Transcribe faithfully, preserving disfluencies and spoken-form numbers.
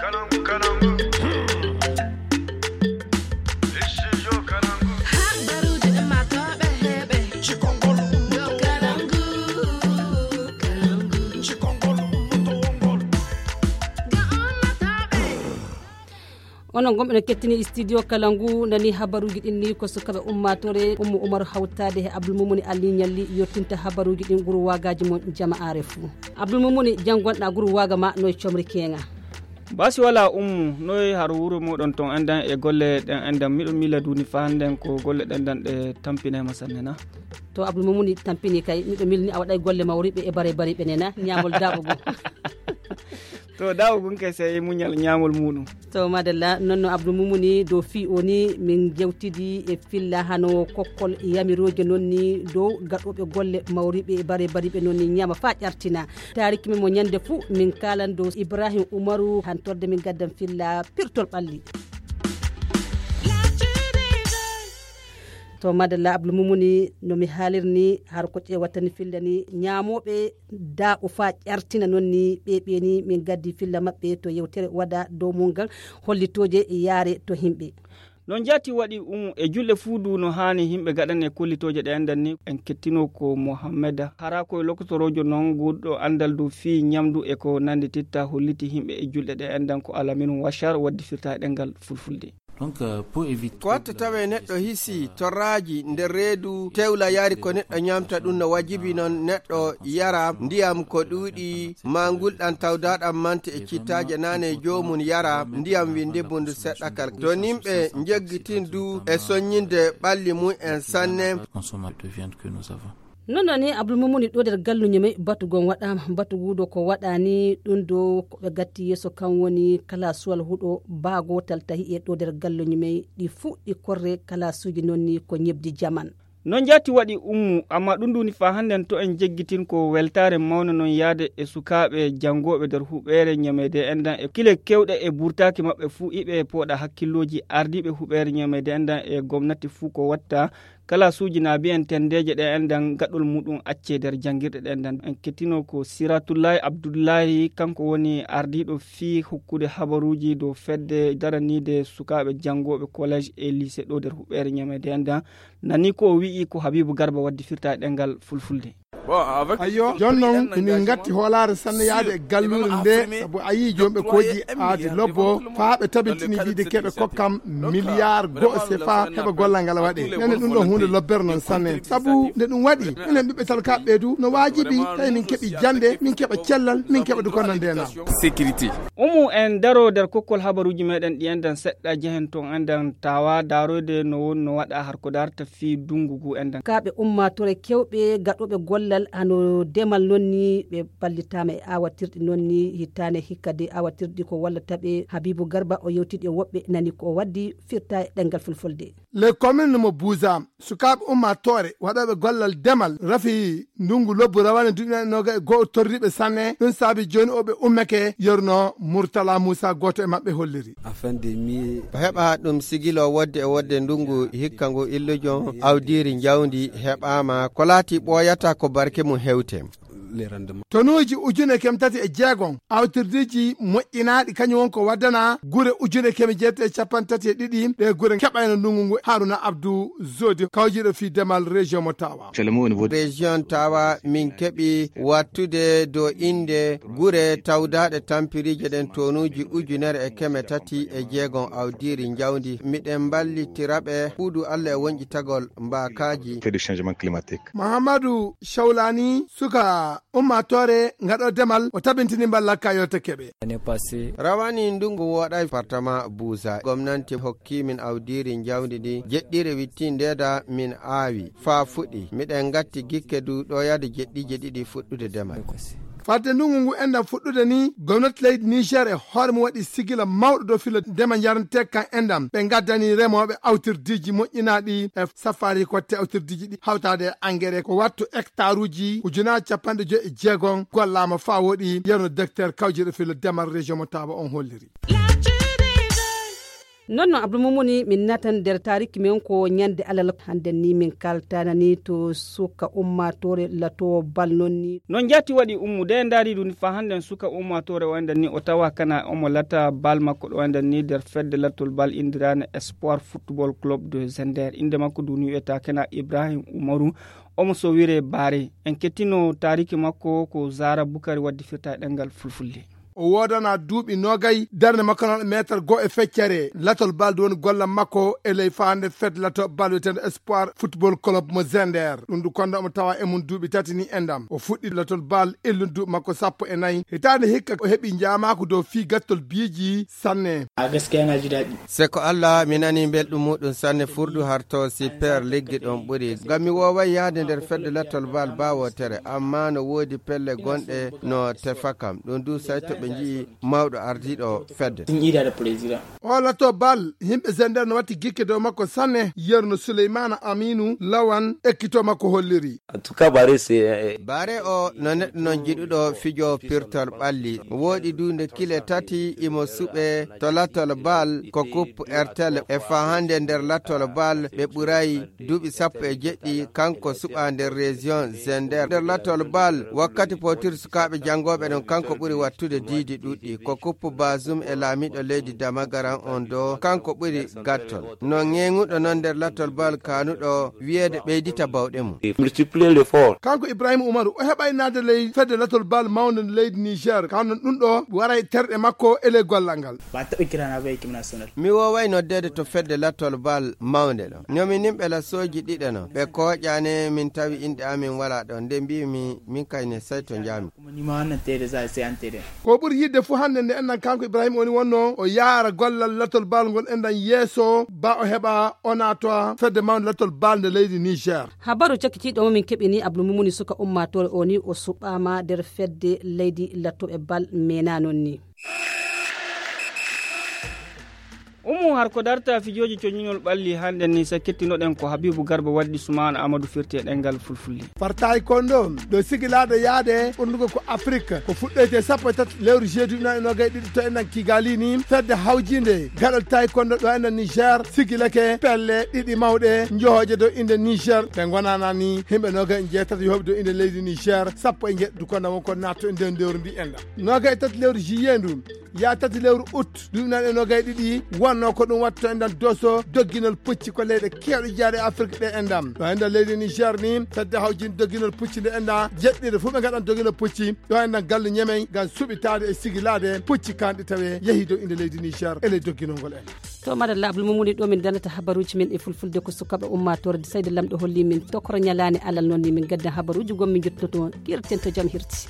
Habbaruuji ɗin maa tooɓe heeɓe. Cikongol ɗo Kalangu, Kalangu. Cikongol ɗo wongol. Ga ummatooɓe. Onon gomɓe no kettini studio Kalangu, nani habaruuji ɗin ni ko sukaɓe ummatore Ummu Umaru hawtade he Abdul Mumuni Ali Ñalli yottinta habaruuji ɗin guru wagaji mon jama'are fu. Abdul Mumuni, jangonɗa guru waga ma noy comri kenga? Basi wala Ummu, noy har wuro moɗon ton endan e golle ɗen endan? Miɗo mila duni fa hannden ko golle ɗen dan ɗe tampinay ma sanne na? To Abdul Mumuni tampini kay, miɗo milni a waɗay golle mawriɓe e bare bariɓe nena, ñamol daɓo go. To daɓo gun kay sey muñal ñamol muɗum. To madalla, non no Abdul Mumuni dow fii o ni min jewtidi e filla hano kokkol yamiroje non ni dow gaɗoɓe golle mawriɓe e bare bariɓe non ni ñama fa ƴartina. Taariki men mo ñande fuu, min kaalan dow Ibrahim Umaru, hantorde min gaddan filla pirtol ɓalli. To madalla Abdul Mumuni, no mi haalirni, har ko ƴeewatani filla ni, ñaamooɓe daaɓo faa ƴartina non ni, ɓe ɓe ni min gaddi filla maɓɓe to yewtere waɗa dow mun ngal, hollitooje yaare to himɓe. Non jaati waɗi Umu e julɗe fuu du no haani himɓe gaɗane kollitooje ɗe enɗan ni. En kettino ko Mohammeda Hara, ko e lokotoroojo non guurɗo anndal du fii ñamdu e ko nanndititta, holliti himɓe e julɗe ɗe enɗan ko Alamin Washar waddi firta e ɗemngal Fulfulde. Donc, euh, pour éviter ko watta tawe neɗɗo hisi torraaji nder reedu tewla yaari ko neɗɗo ñamta, ɗum no wajibi non neɗɗo yara ndiyam ko ɗuuɗi, ma ngulɗan tawdaɗam mante e cittaaje nane, joomum yara ndiyam windibundu seɗɗa kal. To nimɓe njeggitin du e soññinde ɓalli mum en sanne. Consommer de viande que nous avons. Non non ni Abdul Mumuni ɗo nder galluñu men batu gon waɗama, batu guudo ko waɗani ɗum do ko ɓe gatti yeeso kan woni kala suwal huɗo ba gotal tahi e ɗo nder galluñu men ɗi fuɗɗi korre kala suuji non ni ko ñebdi jaman. Non jaati waɗi Ummu, amma ɗum duni fa hannden to en jeggitin ko weltaare mawne non yaade e sukaaɓe janngooɓe nder huɓeere ñameede enɗan e kile kewɗe e burtaaki maɓɓe fuu iɓe pooɗa hakkillooji ardiiɓe huɓeere ñameede enɗan e gomnati fuu ko watta kala suuji na mbiyen tendeeje ɗe enɗan gaɗol muɗum accee nder janngirɗe ɗe enɗan. En kettino ko Siratullahi Abdullahi, kanko woni ardiiɗo fii hokkude habaruuji dow fedde daraniide sukaaɓe janngooɓe collège e lycée ɗo nder huɓeere ñameede enɗan. Nani ko o wi'i ko Habibu Garba waddi firta e ɗemngal Fulfulde. Ayyo, jon non emin ngatti hoolaare sanne yaade e galluure nde, sabu a yii joomɓe kooƴi aadi lobbo faa ɓe tabintini wiide keɓe kokkam miliyar go'o sefa heɓa gollal ngal waɗe. Nene ɗum ɗo huunde lobbere non sanne, sabu nde ɗum waɗi enen ɓiɓɓe talkaaɓe ɓe du no waajibi tawi min keɓi jannde, min keɓa cellal, min keɓa du ko nande na. Sécurité. Umu en daro nder kokkol habaruuji meɗen ɗi enɗan seɗɗa jehen ton enɗan tawa daroyde no woni no waɗa har ko darta fii dungu ngu enɗan. Kaaɓe ummaatore kewɓe gaɗooɓe gollal hano demal non ni ɓe ballitaama e awatirɗi non ni hittaane hikka de awatirɗi ko wallata ɓe. Habibu Garba o yewtidi e woɓɓe nani ko o waddi firta e ɗemngal Fulfulde. Les communes mo Buusa, sukaaɓe ummaatoore waɗooɓe gollal demal rafi ndungu lobbu rawane duuɓi nane noga e go'o torriiɓe sanne. Ɗum saabi jooni o ɓe ummake, yerno Murtala Muusa gooto e maɓɓe holliri. Afin de mi o heɓa ɗum sigilo wodde e wodde ndungu hikka ngu illujon awdiiri njawdi heɓaama ko laati ɓooyata ko barke mum hewte. Tonuuji ujune keme tati e jeegom awtirdiiji moƴƴinaaɗi kañum won ko waddana gure ujune keme jeetati e capanɗe tati e ɗiɗi ɗe gure keɓayno ndungu ngu. Haruna Abdou Zodi kawjiɗo fii demal région mo Tawa. Région Tawa min keɓi wattude do innde gure tawdaaɗe tampiriije ɗen tonuuji ujunere e keme tati e jeegom awdiiri njawdi. Miɗen mballitira ɓe huudu Allah e wonƴitagol mbaakaaji. Fait de changement climatique. Mahamadou Shawlani suka ummaatoore ngaɗo demal o tabintini mballa kayote keɓe. Rawani ndungu woɗay département Buusa. Gomnanti hokki min awdiiri njawdi ndi jeɗɗire wittindeeda min aawi faa fuɗi. Miɗen ngatti gikke du ɗo yahde jeɗɗiije ɗiɗi fuɗɗude demal. Fadde ndungu ngu enɗan fuɗɗude ni, gomnati leydi Niger e hoore mum waɗi sigila mawɗo dow filo ndema njarantee kan enɗan. Ɓe ngaddani remooɓe awtirdiiji moƴƴinaaɗi e safaari kotte awtirdiiji ɗi hawtaade e engrais ko wattu hectare uji ujunaaji capanɗe joyi e jeegom gollaama faa woɗi, yerno docteur kawjiɗo filo demal région mo Tawa on holliri. Non non abdul mumuni min natan nder tariki men ko ñande alal hande ni min kaltana ni to suka ummatore lato bal non ni. Non jati waɗi ummu de ndari ɗum fa hande suka ummatore o enden ni o tawa kana omo lata bal makko ɗo enden ni nder fedde lattol bal indirane espoir football club de zender inde makko duni wiyata kana ibrahim umaru. Omo sowire bare en kettino tariki makko ko zara bukari waddi firta e ɗengal fulfulde. O woodana duuɓi nogay darnde makko noon meetar goo e feccere latol bal woni gollal makko e ley faande fed lato bal wiyeteende espoir football club mo zender ɗum du konda omo tawa e mum duuɓi tati ni endam o fuɗɗi latol bal illun duuɓi makko sappo e nayi hitaande hikka o heɓi njaamaaku dow fii gattol biiji sanne. A gaskiya na ji daɗi. Se ko allah mi nani belɗum muɗum sanne furdu harto super liggi ɗon ɓuri ngam mi woway yahde nder fedde lattol bal bawotere amma no woodi pelle gonɗe no tefa kam ɗum du say to ɓe nji'i mawɗo ardiɗo fedde. Ɗum yiɗade président. O lato bal yimɓe zender no watti gikke dow makko sanne yerno souleymana aminu lawan ekkito makko holliri. En tout cas bare c'est. Bare o no neɗɗo non jiɗuɗo fijo pirtol ɓalli woɗi du nde kile tati imo suɓe to lattol bal ko coupe rtl e fa hande nder lattol bal ɓe ɓuray duuɓi sappo e jeɗɗi kanko suɓa nder région zender nder lattol bal wakkati potir sukaɓe jangoɓe ɗon kanko ɓuri wattude diidi ɗuɗɗi ko coupe basum e laamiɗo leydi damagaran on do kanko ɓuri gattol no ŋeŋuɗo non nder lattol bal kanuɗo wiyeede ɓeydita bawɗe mum. Multiplier l'effort. Kanko ibrahima umaru o heɓay naade ley fedde latol bal mawnde nde leydi niger kano ɗum ɗo waray terɗe makko e ley gollal ngal. Ba taɓa kira na bai kimna sonal. Mi woway noddeede to fedde latol bal mawnde ɗo nomi nimɓe lasooji ɗiɗo no ɓe kooƴane min tawi inɗe amin wala ɗon nde mbimi min kayne say to njami. Kuma ni ma wannan tede za sai an tede. Ko ɓuri yidde fuu hannde nde enɗan kanko ibrahima woni wonno o yaara gollal latol bal ngol enɗan yeeso ba o heɓa o naatoa fedde mawnde latol bal nde leydi niger. Habaru cakkitiiɗo mo min keɓini abdul mumuni suka ummatore o ni o suɓama nder fedde leydi lattoɓe bal mena non ni. Umu har ko darta fijooji coñinol ɓalli hannden ni sa kettinoɗen ko habibu garba waddi sumaana amadou firti e ɗengal fulfulde. Far taekwondo ɗo sigilaade yaade ɓurnugo ko afrique ko fuɗɗoyte sappo e tati lewru jeudi ujunaaji nogay ɗiɗi to enɗan kigali ni fedde hawjinde gaɗol taekwondo ɗo enɗan niger sigilake pelle ɗiɗi mawɗe johooje dow inde niger ɓe gonana ni himɓe nogay jeetati yohoɓe dow inde leydi niger sappo e jeɗɗi du konda won ko natto e nder ndewru ndi enɗan nogay e tati lewru juillet ndu ya tati lewru août duuɓi nan e nogay ɗiɗi wonno ko ɗum watta to enɗan doso dogginol pucci ko leyɗe kewɗe jeyaɗe afrique ɗe enɗam ɗo enɗan leydi niger ni fedde hawjin dogginol pucci nde enɗa jeɗɗire fof ɓe gaɗan dogginol pucci ɗo enɗan galle ñemey ngam suɓitaade e sigilaade pucci kanɗe tawe yehi dow inde leydi niger e ley dogginol ngol en. To madalla abdul mumuni ɗo min danata habaruji men e fulfulde ko sukaɓe ummatore de sayde lamɗo holli min tokoro ñalani alal noon ni min gaddan habaruji gonmi jottoto kirten to jam hirti.